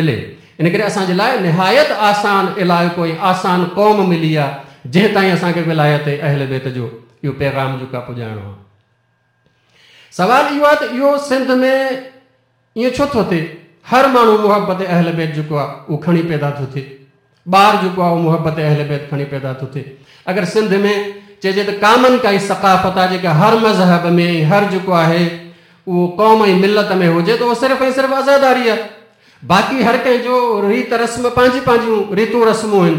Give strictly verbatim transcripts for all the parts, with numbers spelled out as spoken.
ملي. ان ڪري اسان جي لاء نهايت آسان علائقو ۽ آسان قوم ملي آهي جنهن تائين اسان کي ولايت اهل بيت جو اهو پيغام جيڪو آهي پڄائڻو آهي. سوال اهو آهي ته اهو سنڌ ۾ ائين ڇو ٿو ٿئي؟ هر ماڻهو محبت اهل بيت جيڪو آهي اهو کڻي پيدا ٿو ٿئي، ٻار جيڪو آهي اهو محبت اهل بيت کڻي پيدا ٿو ٿئي. اگر سنڌ ۾ چئجي ته ڪامن ڪائي ثقافت آهي جيڪا هر مذهب ۾ هر جيڪو آهي اهو قوم ۽ ملت ۾ هجي ته اهو صرف ۽ صرف عزاداري آهي. باقي هر ڪنهن جو ريت رسم پنهنجي پنهنجون ريتون رسمون آهن.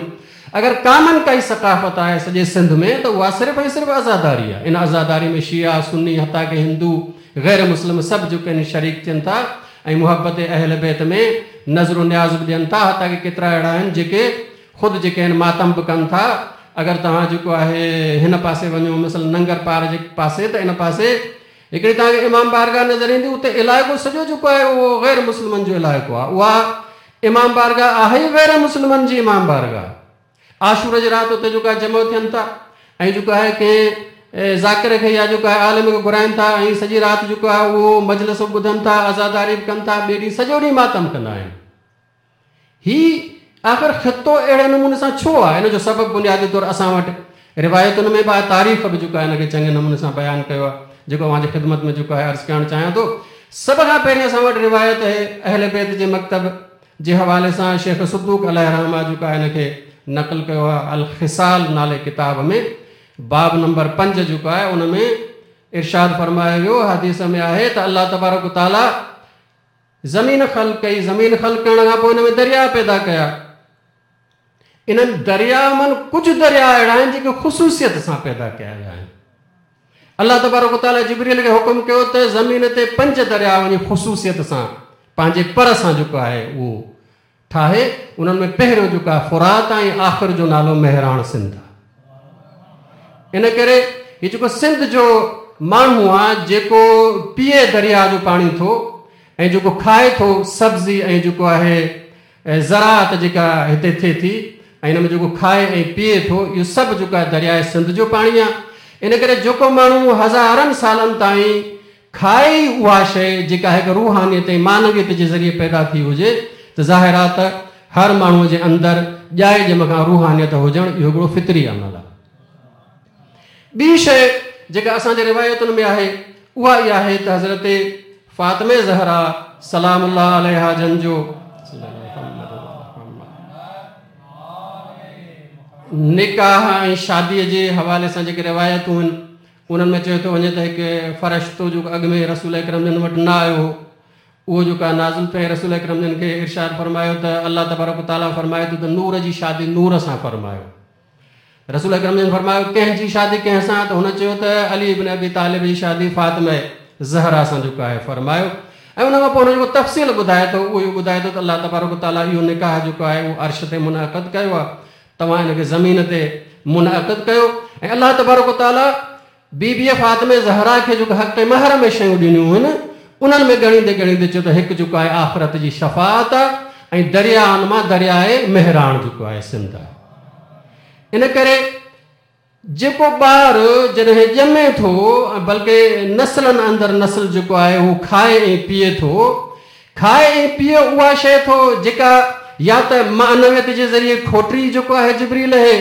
اگر ڪامن ڪائي ثقافت آهي سڄي سنڌ ۾ ته اها صرف ۽ صرف عزاداري آهي. ان عزاداري ۾ شيعا، سني، حتيٰ ڪه هندو، غير مسلم سڀ جيڪي آهن شريڪ ٿين ٿا ۽ محبت اهل بيت ۾ نظر و نياز به ڏين ٿا. حتيٰ ڪه ڪيترا اهڙا آهن جيڪي خود جيڪي آهن ماتم به ڪن ٿا. اگر توهان جيڪو آهي هن پاسي وڃو مثلاً ننگر پار جي پاسي ته ان پاسي هڪڙي توهان کي امام بارگاهه نظر ايندي، اتي علائقو سڄو جيڪو آهي اهو غير مسلمن جو علائقو آهي. اها امام بارگاهه آهي ئي غير مسلمن جي امام بارگاهه. عاشور جي رات اتي جيڪو آهي جمع ٿين ٿا ۽ جيڪو آهي ڪنهن ذاڪر کي يا جيڪو آهي عالم کي گهرائين ٿا ۽ سڄي رات جيڪو آهي اهو مجلس به ٻڌن ٿا، عزاداري به ڪن ٿا، ٻئي ڏينهن سڄو ڏينهن ماتم ڪندا آهن. هي آخر خطو اهڙي نموني سان ڇو آهي؟ ان جو سبب بنيادي طور اسان وٽ روايتن ۾ به آهي، تاريخ به جيڪو آهي ان کي چڱي نموني سان بيان ڪيو آهي، جيڪو اوهان جي خدمت ۾ جيڪو آهي عرض ڪرڻ چاهيان ٿو. سڀ کان پهرين اسان وٽ روايت آهي اهل بيت جي مڪتب جي حوالي سان شيخ صدوق عليه رحمه جيڪو آهي ان کي نقل ڪيو آهي الخصال نالي ڪتاب ۾ باب نمبر پنج جيڪو آهي ان ۾ ارشاد فرمايو ويو، حديث ۾ آهي ته الله تبارڪ تعاليٰ زمين خلق ڪئي، زمين خلق ڪرڻ کان پوءِ ان ۾ درياء پيدا ڪيا. انهن درياء مان ڪجهه درياء اهڙا آهن جيڪي خصوصيت سان پيدا ڪيا ويا آهن. الله تبارڪ تعاليٰ جبريل کي حڪم ڪيو ته زمين تي پنج درياء وڃي خصوصيت سان پنهنجي پر سان جيڪو آهي اهو ٺاهي. انهن ۾ پهريون جيڪو آهي فرات ۽ آخر جو نالو مهراڻ سنڌ آهي. ان ڪري هي جيڪو سنڌ جو ماڻهو آهي جيڪو پيئي درياء جو پاڻي ٿو ۽ جيڪو کائي ٿو سبزي ۽ جيڪو آهي زراعت جيڪا هتي ٿئي ٿي ۽ هن ۾ جيڪو کائي ۽ پيئي ٿو اهو سڀ جيڪو آهي درياء سنڌ جو پاڻي آهي. ان ڪري جيڪو ماڻهو هزارن سالن تائين کائي اها شيءِ جيڪا هڪ روحانيت ۽ معنويت جي ذريعي پيدا ٿي هجي ته ظاهر آهي ته هر ماڻهوءَ جي اندر ڄائي ڄم کان روحانيت هجڻ اهو هڪڙو فطري عمل آهي. ٻي شيءِ جيڪا اسان جي روايتن ۾ آهي اها اها آهي ته حضرت فاطمه زهرا سلام الله عليها جن جو نڪاح ۽ شاديءَ جي حوالي سان جيڪي روايتون آهن انهن ۾ چيو ٿو وڃي ته هڪ فرشتو جيڪو اڳ ۾ رسول اڪرم جن وٽ نه آيو هو اهو جيڪو آهي نازل ٿيو ۽ رسول اڪرم جن کي ارشاد فرمايو ته الله تبارڪ تعاليٰ فرمائي ٿو ته نور جي شادي نور سان فرمايو. رسول اڪرم جن فرمايو ڪنهن جي شادي ڪنهن سان؟ ته هن چيو ته علي ابن ابي طالب جي شادي فاطمه زهرا سان جيڪو آهي فرمايو. ۽ ان کان پوءِ هن جيڪو تفصيل ٻڌائي ٿو اهو اهو ٻڌائي ٿو ته الله تبارڪ تعاليٰ اهو نڪاح جيڪو آهي اهو عرش تي منعقد ڪيو آهي، توهان هن کي زمين تي منعقد ڪيو. ۽ الله تبارڪ تعاليٰ بيبي فاطمه زهرا کي جيڪو حق مهر ۾ شيون ڏنيون آهن انهن ۾ ڳڻيندي ڳڻيندي چيو ته هڪ جيڪو آهي آخرت جي شفاعت آهي ۽ دريائن مان درياءِ مهراڻ جيڪو آهي سنڌ آهي. ان ڪري جيڪو ٻار جڏهن ڄمي ٿو بلڪه نسلن اندر نسل جيڪو آهي اهو کائي ۽ پيئي ٿو، کائي ۽ پيئي اها شيءِ ٿو جيڪا يا ته معنويت جي ذريعي کوٽري جيڪو آهي جبريل آهي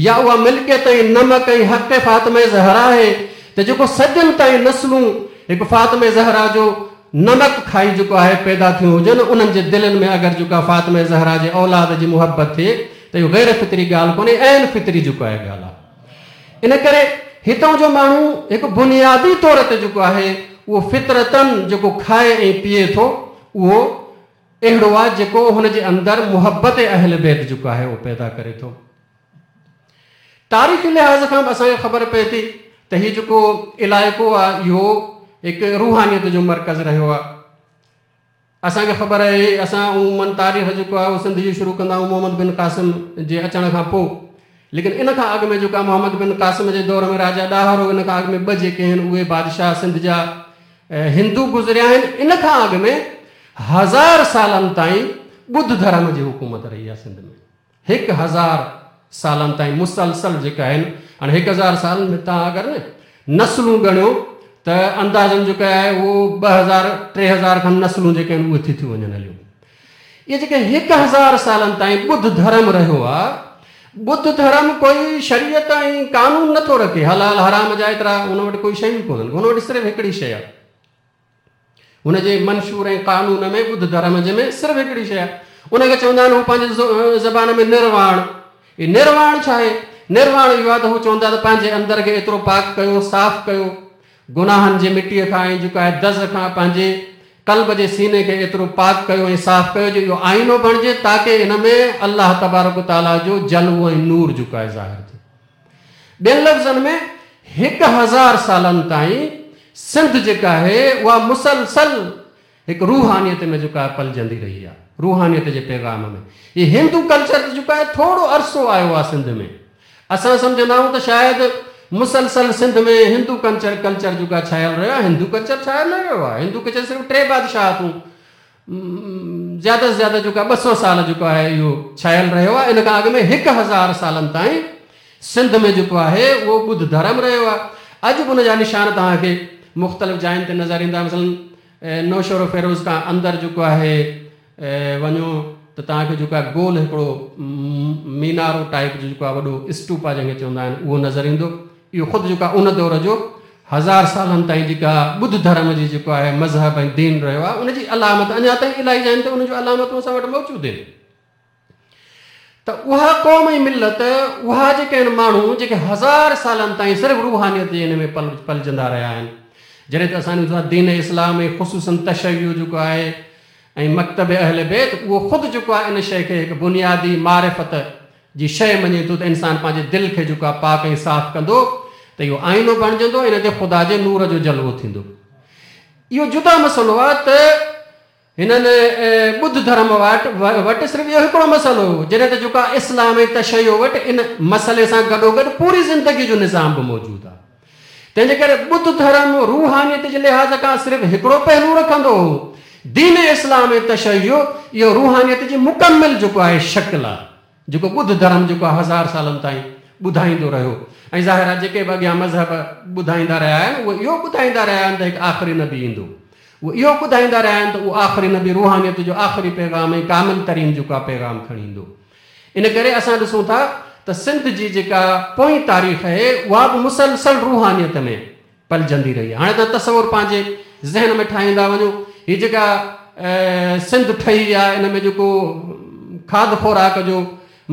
يا اها ملڪيت ۽ نمڪ ۽ حق فاطمه زهرا آهي ته جيڪو صدين تائين نسلون هڪ فاطمه زهرا جو نمڪ کائي جيڪو آهي پيدا ٿيون هجن انهن جي دلن ۾ اگر جيڪو آهي فاطمه زهرا جي اولاد جي محبت ٿئي ته اهو غير فطري ڳالهه ڪونهي، عين فطري جيڪو آهي ڳالهه آهي. ان ڪري هتان جو ماڻهو هڪ بنيادي طور تي جيڪو آهي اهو فطرتن جيڪو کائي ۽ پيئي ٿو اهو اهڙو آهي جيڪو هن جي اندر محبت اهل بيت جيڪو آهي اهو پيدا ڪري ٿو. تاريخي لحاظ کان به اسان کي خبر پئي ٿي ته هيءُ جيڪو علائقو آهي اهو هڪ روحانيت جو مرڪز رهيو آهي. اسان کي خبر آهي اسان عموماً تاريخ جيڪو آهي اهو سنڌ جي شروع ڪندا آهيون محمد بن قاسم جي اچڻ کان پوءِ، ليڪن ان کان اڳ ۾ جيڪو آهي محمد بن قاسم جي دور ۾ راجا ڏاهر هو، ان کان اڳ ۾ ٻه جيڪي آهن اهي بادشاهه سنڌ جا هندو گذريا آهن. ان کان اڳ ۾ هزار سالن تائين ٻڌ ڌرم جي حڪومت رهي آهي سنڌ ۾. هڪ هزار سالن تائين مسلسل جيڪا آهن، هاڻي هڪ هزار سالن ۾ توهان اگر نه نسلون ڳڻيو ته اندازن جيڪو آهي اهو ٻه هزار ٽي هزار کن نسلون جيڪي آهن اهي ٿي ٿيون وڃن هليون. اهي جيڪي هڪ هزار سالن تائين ٻڌ ڌرم رهيو آهي، ٻڌ ڌرم ڪوئي شريعت ۽ قانون نٿو رکي، حلال حرام جا ايترا هن وٽ ڪوئي شيون ڪونهن، هن وٽ صرف هڪڙي شيء آهي. هن جي منشور ۽ قانون ۾ ٻڌ ڌرم جي ۾ صرف هڪڙي شيء آهي، ان کي چوندا آهن هو پنهنجي زبان ۾ نرواڻ. هي نرواڻ ڇا آهي؟ نرواڻ اهو آهي ته هو چوندا ته پنهنجي اندر کي ايترو پاڪ ڪيو، صاف ڪيو گناهن جي مٽيء کان ۽ جيڪو آهي دز کان، پنهنجي قلب جي سيني کي ايترو پاڪ ڪيو ۽ صاف ڪيو جو اهو آئينو بڻجي، تاڪه ان ۾ الله تبارڪ تعاليٰ جو جلوو ۽ نور جيڪو آهي ظاهر ٿئي. ٻين لفظن ۾ هڪ هزار سالن تائين سنڌ جيڪا آهي اها مسلسل هڪ روحانيت ۾ جيڪا آهي پلجندي رهي آهي، روحانيت جي پيغام ۾. هي هندو ڪلچر جيڪو آهي ٿورو عرصو آيو آهي سنڌ ۾. اسان سمجهندا آهيون ته شايد مسلسل سنڌ ۾ هندو ڪلچر ڪلچر جيڪو آهي ڇايل رهيو آهي. هندو ڪلچر ڇايل نه رهيو آهي. هندو ڪلچر صرف ٽي بادشاهتون زياده سان زياده جيڪو آهي ٻه سؤ سال جيڪو آهي اهو ڇايل رهيو آهي. ان کان اڳ ۾ هڪ هزار سالن تائين سنڌ ۾ جيڪو آهي اهو ٻڌ ڌرم رهيو آهي. اڄ به ان جا نشان توهان کي مختلف جاين تي نظر ايندا. مثلاً نوشهرو فيروز کان اندر جيڪو آهي وڃو ته توهان کي جيڪو آهي گول هڪڙو مينارو ٽائيپ جو جيڪو آهي وڏو اسٽوپا جنهن کي چوندا آهن اهو نظر ايندو. اهو خود جيڪو آهي ان دور جو هزار سالن تائين جيڪا ٻڌ ڌرم جي جيڪو آهي مذهب ۽ دين رهيو آهي ان جي علامت اڃا تائين الاهي جاين تي ان جون علامتون اسان وٽ موجود آهن. ته اها قوم ۽ ملت، اها جيڪي آهن ماڻهو جيڪي هزار سالن تائين صرف روحانيت جي هن ۾ پل پلجندا رهيا آهن، جڏهن ته اسان ڏسون ٿا دين اسلام ۽ خصوصاً تشيع جيڪو آهي ۽ مڪتب اهل بيت اهو خود جيڪو آهي ان شيء کي هڪ بنيادي معرفت جي شيء مڃي ٿو ته انسان پنهنجي دل کي جيڪو آهي پاڪ ۽ صاف ڪندو ته اهو آئينو بڻجندو، ان تي خدا جي نور جو جلوو ٿيندو. اهو جدا مسئلو آهي ته هنن ٻڌ ڌرم وٽ وٽ صرف اهو هڪڙو مسئلو هو، جڏهن ته جيڪو آهي اسلام ۽ تشيع وٽ ان مسئلي سان گڏوگڏ پوري زندگي جو نظام به موجود آهي. تنهن جي ڪري ٻڌ ڌرم روحانيت جي لحاظ کان صرف هڪڙو پهلو رکندو هو، دين اسلام ۽ تشيع اهو روحانيت جي مڪمل جيڪو آهي شڪل آهي، جيڪو ٻڌ ڌرم جيڪو آهي هزار سالن تائين ٻڌائيندو رهيو. ۽ ظاهر آهي جيڪي به اڳيان مذهب ٻڌائيندا رهيا آهن اهي اهو ٻڌائيندا رهيا آهن ته هڪ آخري نبي ايندو، اهي اهو ٻڌائيندا رهيا آهن ته اهو آخري نبي روحانيت جو آخري پيغام ۽ ڪامل ترين جيڪو آهي پيغام کڻي ايندو. ان ڪري اسان ڏسون ٿا ته سنڌ جي جيڪا پوئين تاريخ آهي اها به مسلسل روحانيت ۾ پلجندي رهي آهي. هاڻي توهان تصور پنهنجي ذهن ۾ ٺاهيندا وڃو، هي جيڪا سنڌ ٺهي آهي ان ۾ جيڪو کاڌ خوراڪ جو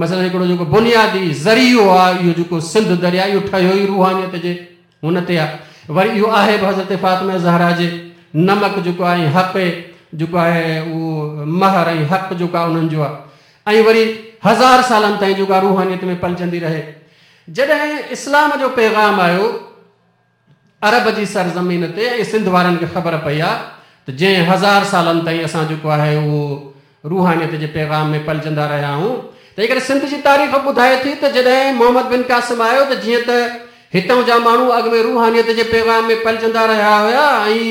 مثلاً هڪڙو جيڪو بنيادي ذريعو آهي اهو جيڪو سنڌ دريا اهو ٺهيو ئي روحانيت جي هن تي آهي. وري اهو آهي به حضرت فاطمه زهرا جي نمڪ جيڪو آهي ۽ حق جيڪو آهي اهو مهر ۽ حق جيڪو آهي انهن جو آهي. ۽ وري هزار سالن تائين جيڪا روحانيت ۾ پلجندي رهي. جڏهن اسلام جو پيغام آيو عرب جي سرزمين تي ۽ سنڌ وارن کي خبر پئي آهي ته جنهن هزار سالن تائين اسان جيڪو آهي اهو روحانيت جي پيغام ۾ پلجندا رهيا آهيون، تنهن ڪري سنڌ جي تاريخ ٻڌائي ٿي ته جڏهن محمد بن قاسم آيو ته جيئن ته هتان جا ماڻهو اڳ ۾ روحانيت جي پيغام ۾ پلجندا رهيا هئا ۽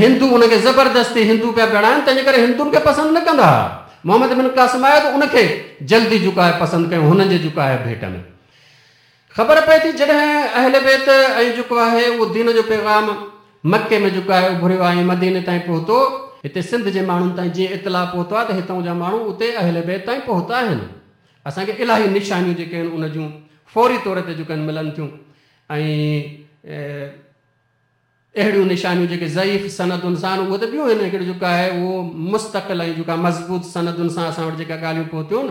هندو ان کي زبردستي هندو پيا بڻائن، تنهن جي ڪري هندن کي پسند نه ڪندا هئا. محمد بن قاسم آيو ته ان کي جلدي جيڪو آهي پسند ڪيو هنن جي جيڪو آهي ڀيٽ ۾. خبر پئي ٿي جڏهن اهل بيت ۽ جيڪو آهي اهو دين جو پيغام مڪي ۾ جيڪو آهي اڀريو آهي ۽ مديني تائين پهتو، هتي سنڌ جي ماڻهن تائين جيئن اطلاع پهتو آهي ته هتان جا ماڻهو اتي اهل بيت تائين پهتا آهن. اسان کي الاهي نشانيون جيڪي آهن ان جون فوري طور تي جيڪي آهن ملن ٿيون ۽ اهڙيون نشانيون جيڪي ضعيف سندن سان اهي ته ٻيون آهن، هڪڙو جيڪو آهي اهو مستقل ۽ جيڪا مضبوط سندن سان اسان وٽ جيڪا ڳالهيون پهتيون.